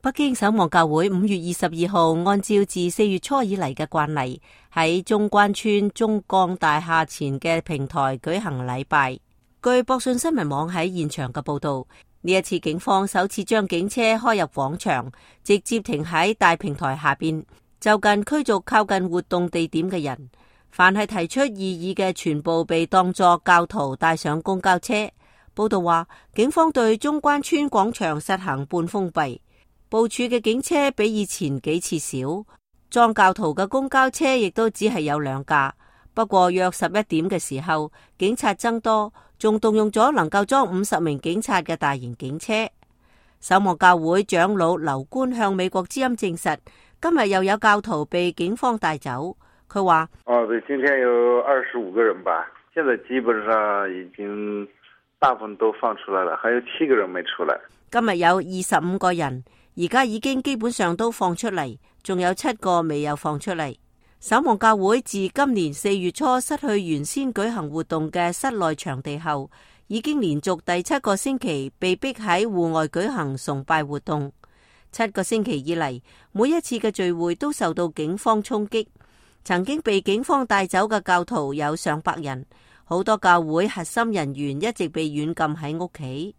北京守望教會5月22號按照自4月初以嚟嘅慣例，喺中關村中鋼大廈前嘅平台舉行禮拜。據博訊新聞網喺現場嘅報道，呢一次警方首次將警車開入廣場，直接停喺大平台下邊，就近驅逐靠近活動地點嘅人。凡係提出異議嘅，全部被當作教徒帶上公交車。報道話，警方對中關村廣場實行半封閉。部署嘅警車比以前幾次少，裝教徒嘅公交車亦都只係有2架。不過約11點嘅時候，警察增多，仲動用咗能夠裝50名警察嘅大型警車。守望教會長老劉官向美國之音證實，今日又有教徒被警方帶走。佢話：對，今天有25個人吧，現在基本上已經大部分都放出來了，還有7個人沒出來。今日有25個人。而家已經基本上都放出嚟，仲有7個未有放出嚟。守望教會自今年4月初失去原先舉行活動嘅室內場地後，已經連續第7個星期被逼喺戶外舉行崇拜活動。7個星期以嚟，每一次嘅聚會都受到警方衝擊。曾經被警方帶走嘅教徒有上百人，好多教會核心人員一直被軟禁喺屋企。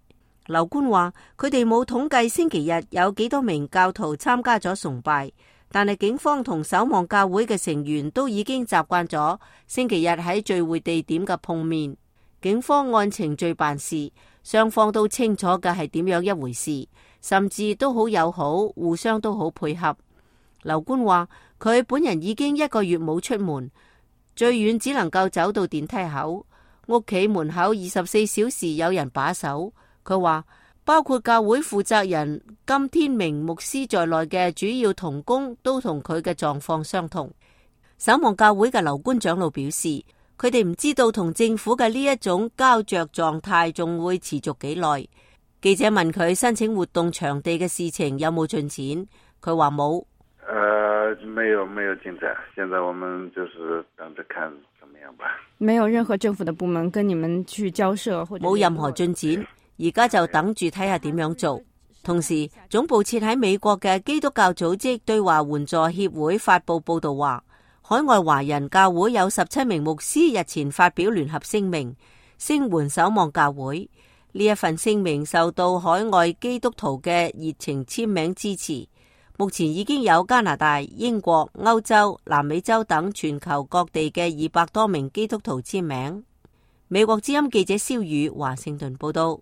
劉官話：佢哋冇統計星期日有幾多名教徒參加咗崇拜，但係警方同守望教會嘅成員都已經習慣咗星期日喺聚會地點嘅碰面。警方按程序辦事，雙方都清楚嘅係點樣一回事，甚至都好友好，互相都好配合。劉官話：佢本人已經1個月冇出門，最遠只能夠走到電梯口，屋企門口24小時有人把守。佢話，包括教會負責人金天明牧師在內嘅主要同工都同佢嘅狀況相同。守望教會嘅劉官長老表示，佢哋唔知道同政府嘅呢一種膠着狀態仲會持續幾耐。記者問佢申請活動場地嘅事情有冇進展，佢話冇。沒有進展，現在我們就是等着看怎麼樣吧。沒有任何政府的部門跟你們去交涉，或者冇任何進展。而家就等住睇下點樣做。同時，總部設喺美國嘅基督教組織對華援助協會發佈報道話，海外華人教會有17名牧師日前發表聯合聲明，聲援守望教會。呢一份聲明受到海外基督徒嘅熱情簽名支持。目前已經有加拿大、英國、歐洲、南美洲等全球各地嘅200多名基督徒簽名。美國之音記者蕭宇華盛頓報道。